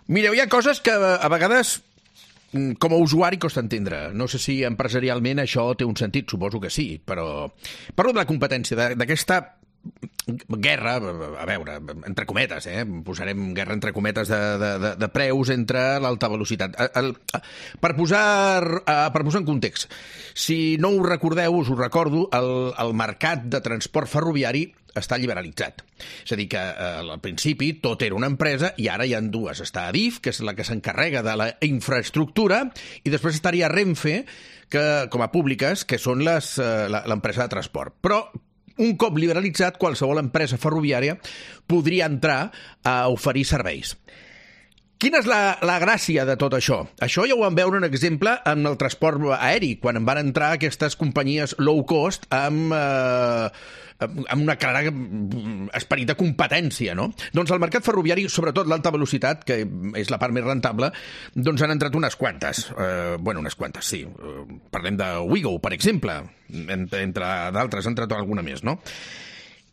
Mireu, hi ha coses que a vegades com a usuari costa entendre. No sé si empresarialment això té un sentit, suposo que sí, però parlo de la competència, d'aquesta guerra, a veure, entre cometes, posarem guerra entre cometes de preus entre l'alta velocitat. Per posar en context, si no ho recordeu, us ho recordo, el mercat de transport ferroviari està liberalitzat. És a dir, que al principi tot era una empresa i ara hi ha dues. Està Adif, que és la que s'encarrega de la infraestructura, i després estaria Renfe, com a públiques, que són l'empresa de transport. Però un cop liberalitzat, qualsevol empresa ferroviària podria entrar a oferir serveis. Quina és la gràcia de tot això? Això ja ho vam veure un exemple en el transport aeri, quan van entrar aquestes companyies low cost amb una clara esperit de competència, no? Doncs el mercat ferroviari, sobretot l'alta velocitat, que és la part més rentable, doncs han entrat unes quantes. Unes quantes, sí. Parlem de Ouigo, per exemple. Entre d'altres, ha entrat alguna més, no?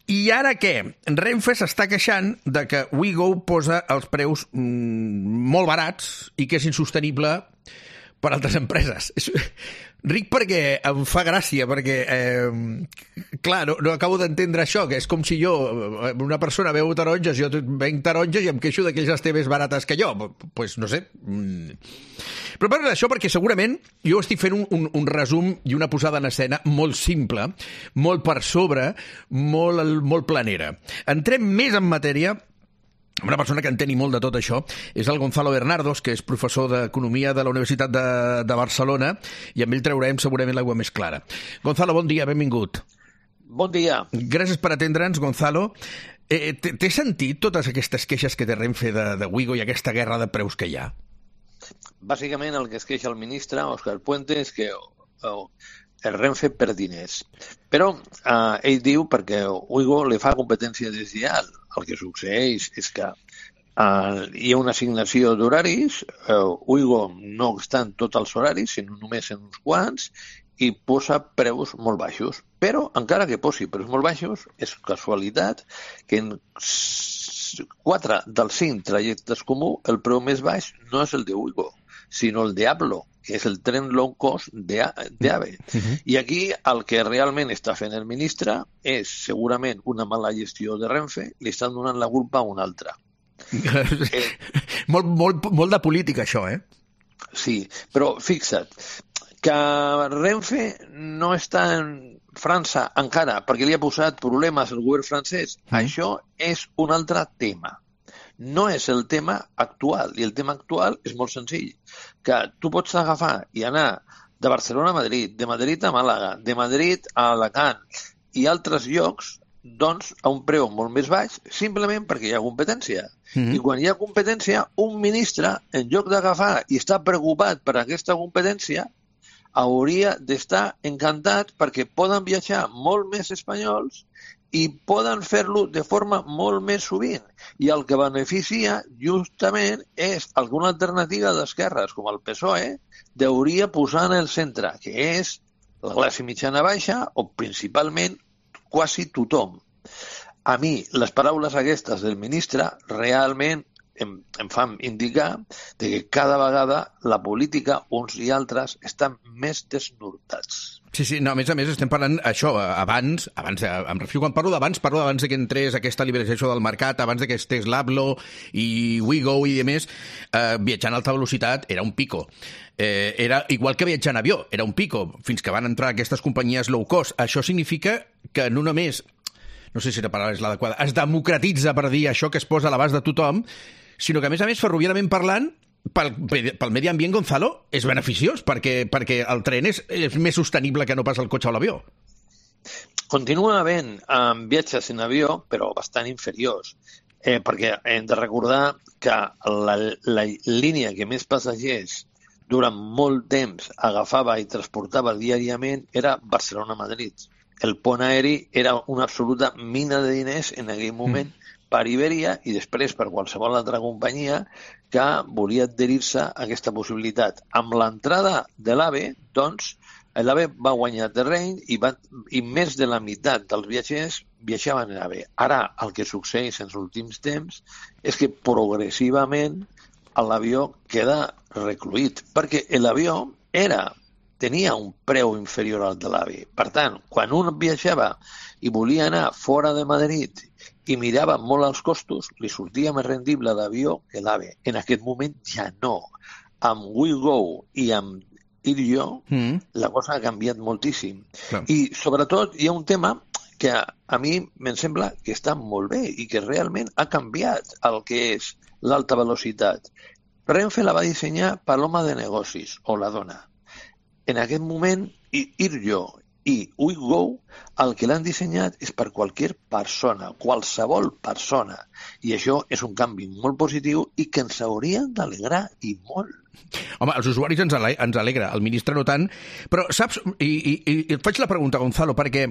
I ara què? Renfe s'està queixant de que Ouigo posa els preus molt barats i que és insostenible per altres empreses. Ric perquè em fa gràcia, perquè, clar, no acabo d'entendre això, que és com si una persona veu taronges, jo venc taronges i em queixo que ells estan més barates que jo. Pues no sé. Però parlo d'això perquè segurament jo estic fent un resum i una posada en escena molt simple, molt per sobre, molt planera. Entrem més en matèria. Una persona que enteni molt de tot això és el Gonzalo Bernardos, que és professor d'Economia de la Universitat de Barcelona, i amb ell traurem segurament l'aigua més clara. Gonzalo, bon dia, benvingut. Bon dia. Gràcies per atendre'ns, Gonzalo. Té sentit totes aquestes queixes que té Renfe de Ouigo i aquesta guerra de preus que hi ha? Bàsicament el que es queixa el ministre, Òscar Puente, és que el Renfe per diners. Però ell diu perquè Ouigo li fa competència deslleial. El que succeeix és que hi ha una assignació d'horaris, Ouigo no està en tots els horaris, sinó només en uns quants, i posa preus molt baixos. Però, encara que posi preus molt baixos, és casualitat que en 4 dels 5 trajectes comú el preu més baix no és el de Ouigo, sinó el de Ablo, que és el tren low cost d'AVE. I aquí el que realment està fent el ministre és segurament una mala gestió de Renfe, li estan donant la culpa a un altre. Molt de política, això, eh? Sí, però fixa't, que Renfe no està en França encara perquè li ha posat problemes al govern francès. Això és un altre tema. No és el tema actual, i el tema actual és molt senzill, que tu pots agafar i anar de Barcelona a Madrid, de Madrid a Màlaga, de Madrid a Alacant i altres llocs, doncs, a un preu molt més baix, simplement perquè hi ha competència. I quan hi ha competència, un ministre, en lloc d'agafar i estar preocupat per aquesta competència, hauria d'estar encantat perquè poden viatjar molt més espanyols i poden fer-lo de forma molt més sovint. I el que beneficia justament és alguna alternativa d'esquerres, com el PSOE, hauria posar en el centre, que és la classe mitjana baixa o principalment quasi tothom. A mi, les paraules aquestes del ministre realment em fan indicar que cada vegada la política, uns i altres, estan més desnortats. Sí, no, a més estem parlant això, abans, em refio quan parlo d'abans de que entrés aquesta liberalització del mercat, abans de que estés l'Ablo i Ouigo i demés, viatjar en alta velocitat era un pico. Era igual que viatjar en avió, era un pico, fins que van entrar aquestes companyies low cost. Això significa que no només, no sé si la paraula és l'adequada, es democratitza, per dir això, que es posa a l'abast de tothom, sinó que, a més, ferroviàriament parlant, pel medi ambient, Gonzalo, és beneficiós, perquè el tren és més sostenible que no pas el cotxe o l'avió. Continua havent viatges en avió, però bastant inferiors, perquè hem de recordar que la línia que més passatgers durant molt temps agafava i transportava diàriament era Barcelona-Madrid. El pont aeri era una absoluta mina de diners en aquell moment per Iberia i després per qualsevol altra companyia que volia adherir-se a aquesta possibilitat. Amb l'entrada de l'AVE, doncs, l'AVE va guanyar terreny i més de la meitat dels viatgers viatjaven en AVE. Ara, el que succeeix en els últims temps és que progressivament l'avió queda recluït, perquè l'avió tenia un preu inferior al de l'AVE. Per tant, quan un viatjava i volia anar fora de Madrid i mirava molt els costos, li sortia més rendible l'avió que l'AVE. En aquest moment ja no. Amb WeGo i amb IRYO la cosa ha canviat moltíssim. Clar. I sobretot hi ha un tema que a mi em sembla que està molt bé i que realment ha canviat el que és l'alta velocitat. Renfe la va dissenyar per l'home de negocis, o la dona. En aquest moment, IRYO i WeGo el que l'han dissenyat és per qualsevol persona. I això és un canvi molt positiu i que ens haurien d'alegrar i molt. Home, els usuaris ens alegra, el ministre no tant, però saps, i et faig la pregunta, Gonzalo, perquè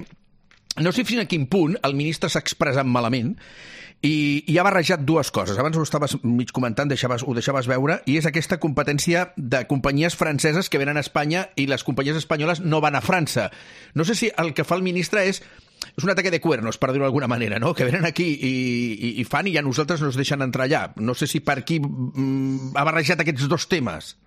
no sé fins a quin punt el ministre s'ha expressat malament i ha barrejat dues coses. Abans ho estaves mig comentant, ho deixaves veure, i és aquesta competència de companyies franceses que venen a Espanya i les companyies espanyoles no van a França. No sé si el que fa el ministre és un ataque de cuernos, per dir-ho d'alguna manera, no? Que venen aquí i fan i a nosaltres no ens deixen entrar allà. No sé si per aquí ha barrejat aquests dos temes.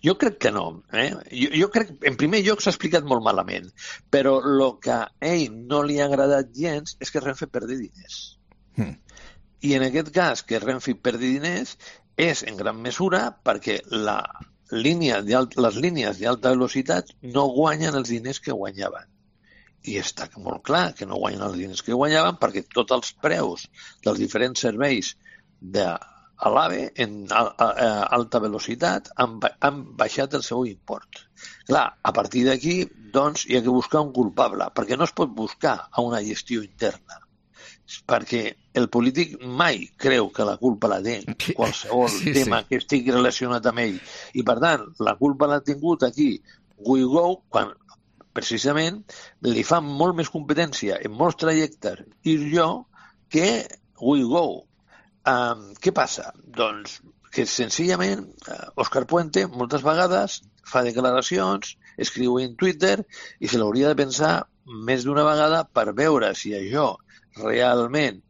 Jo crec que no. Jo crec, en primer lloc, s'ha explicat molt malament, però el que a ell no li ha agradat gens és que Renfe perdi diners. I en aquest cas, que Renfe perdi diners és en gran mesura perquè les línies d'alta velocitat no guanyen els diners que guanyaven. I està molt clar que no guanyen els diners que guanyaven perquè tots els preus dels diferents serveis de l'AVE en alta velocitat han baixat el seu import. Clar, a partir d'aquí, doncs, hi ha que buscar un culpable, perquè no es pot buscar a una gestió interna, perquè el polític mai creu que la culpa la té qualsevol tema que estigui relacionat amb ell. I, per tant, la culpa l'ha tingut aquí WeGo, quan precisament li fa molt més competència en molts trajectes IRYO que WeGo. Què passa? Doncs que senzillament Òscar Puente moltes vegades fa declaracions, escriu en Twitter i se l'hauria de pensar més d'una vegada per veure si això realment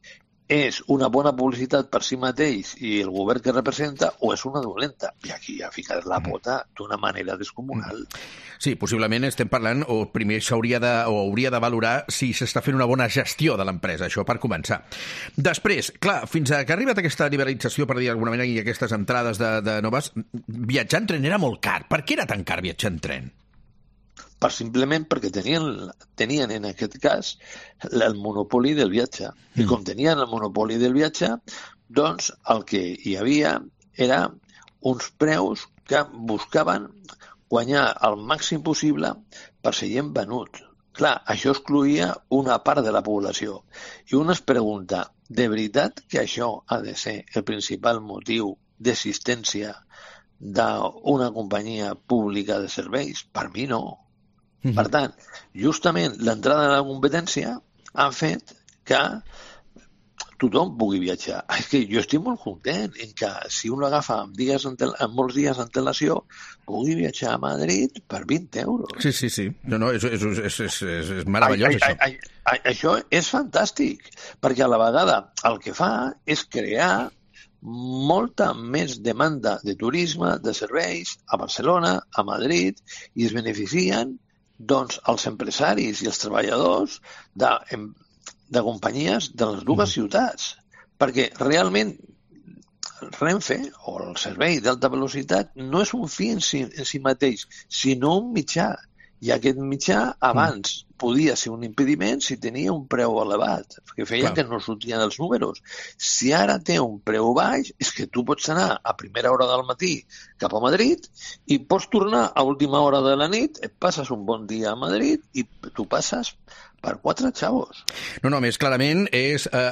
és una bona publicitat per si mateix i el govern que representa o és una dolenta. I aquí ha ficat la pota d'una manera descomunal. Sí, possiblement estem parlant, o primer hauria de valorar si s'està fent una bona gestió de l'empresa, això per començar. Després, clar, fins que ha arribat aquesta liberalització, per dir d'alguna manera, i aquestes entrades de noves, viatjar en tren era molt car. Per què era tan car viatjar en tren? Simplement perquè tenien en aquest cas el monopoli del viatge. I com tenien el monopoli del viatge, doncs el que hi havia era uns preus que buscaven guanyar el màxim possible per seient venut. Clar, això excloïa una part de la població. I un es pregunta, de veritat que això ha de ser el principal motiu d'existència d'una companyia pública de serveis? Per mi no. Per tant, justament l'entrada de la competència ha fet que tothom pugui viatjar. És que jo estic molt content en que si un l'agafa amb molts dies d'antelació pugui viatjar a Madrid per 20 euros. Sí. No, és meravellós, això. Això és fantàstic, perquè a la vegada el que fa és crear molta més demanda de turisme, de serveis, a Barcelona, a Madrid, i es beneficien doncs els empresaris i els treballadors de companyies de les dues ciutats. Perquè realment Renfe, o el servei d'alta velocitat, no és un fi en si mateix, sinó un mitjà. I aquest mitjà abans podia ser un impediment si tenia un preu elevat, que feia que no sortien els números. Si ara té un preu baix, és que tu pots anar a primera hora del matí cap a Madrid i pots tornar a última hora de la nit, et passes un bon dia a Madrid i tu passes per 4 xavos. No, més clarament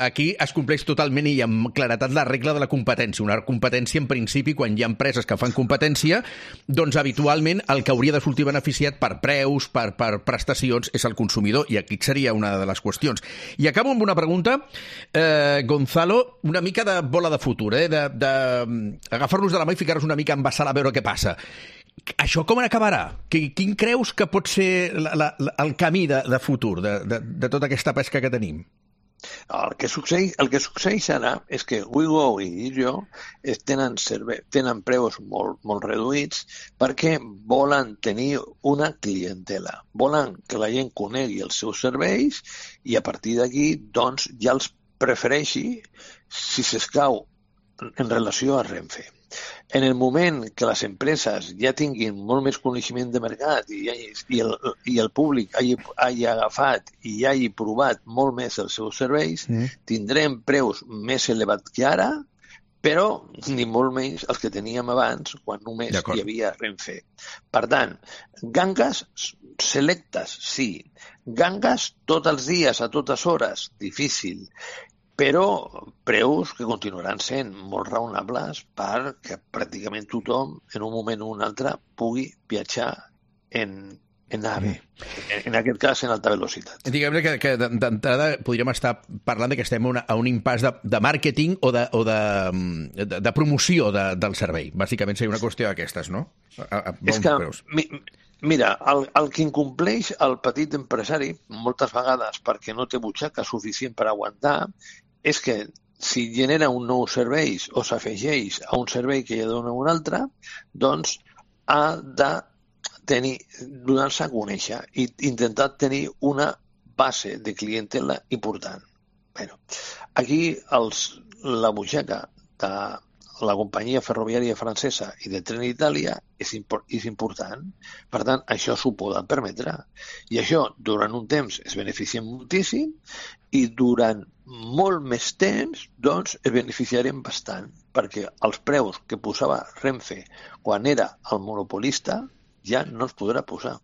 aquí es compleix totalment i amb claretat la regla de la competència. Una competència, en principi, quan hi ha empreses que fan competència, doncs habitualment el que hauria de sortir beneficiat per preus, per prestacions, és el consumidor, i aquí seria una de les qüestions. I acabo amb una pregunta, Gonzalo, una mica de bola de futur, d'agafar-nos de la mà i ficar-nos una mica en sala a veure què passa. Això com acabarà? Quin creus que pot ser el camí de futur de tota aquesta pesca que tenim? El que succeeix ara és que WeGo i Digio tenen preus molt reduïts perquè volen tenir una clientela. Volen que la gent conegui els seus serveis i a partir d'aquí doncs, ja els prefereixi si s'escau en relació a Renfe. En el moment que les empreses ja tinguin molt més coneixement de mercat i el públic hagi agafat i hagi provat molt més els seus serveis, tindrem preus més elevats que ara, però ni molt menys els que teníem abans, quan només hi havia Renfe. Per tant, gangues selectes, sí. Gangues tots els dies, a totes hores, difícil. Però preus que continuaran sent molt raonables perquè pràcticament tothom, en un moment o un altre, pugui viatjar en AVE. En aquest cas, en alta velocitat. Diguem-ne que d'entrada podríem estar parlant que estem a un impàs de màrqueting o de promoció del servei. Bàsicament seria una qüestió d'aquestes, no? És que, mira, el que incompleix el petit empresari, moltes vegades perquè no té butxaca suficient per aguantar, és que si genera un nou servei o s'afegeix a un servei que ja dona un altre, doncs ha de donar-se a conèixer i intentar tenir una base de clientela important. Bueno, aquí la butxaca de la companyia ferroviària francesa i de Trenitalia és important. Per tant, això s'ho poden permetre. I això, durant un temps, es beneficien moltíssim i durant molt més temps, doncs, es beneficiarem bastant, perquè els preus que posava Renfe quan era el monopolista ja no els podrà posar.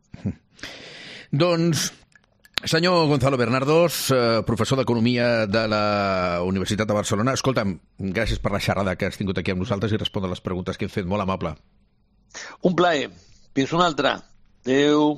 Doncs, senyor Gonzalo Bernardos, professor d'Economia de la Universitat de Barcelona, escolta'm, gràcies per la xerrada que has tingut aquí amb nosaltres i respondre les preguntes que hem fet. Molt amable. Un plaer. Fins una altra. Adéu.